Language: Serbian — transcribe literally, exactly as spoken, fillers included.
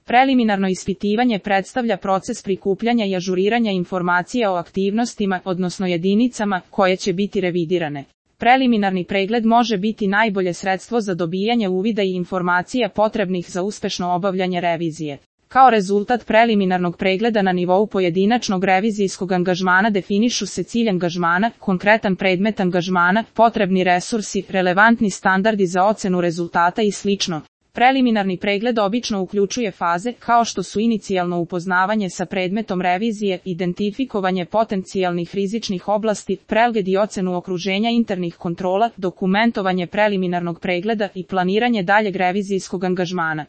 Preliminarno ispitivanje predstavlja proces prikupljanja i ažuriranja informacija o aktivnostima, odnosno jedinicama, koje će biti revidirane. Preliminarni pregled može biti najbolje sredstvo za dobijanje uvida i informacija potrebnih za uspešno obavljanje revizije. Kao rezultat preliminarnog pregleda na nivou pojedinačnog revizijskog angažmana definišu se cilj angažmana, konkretan predmet angažmana, potrebni resursi, relevantni standardi za ocenu rezultata i slično. Preliminarni pregled obično uključuje faze kao što su inicijalno upoznavanje sa predmetom revizije, identifikovanje potencijalnih rizičnih oblasti, pregled i ocenu okruženja internih kontrola, dokumentovanje preliminarnog pregleda i planiranje daljeg revizijskog angažmana.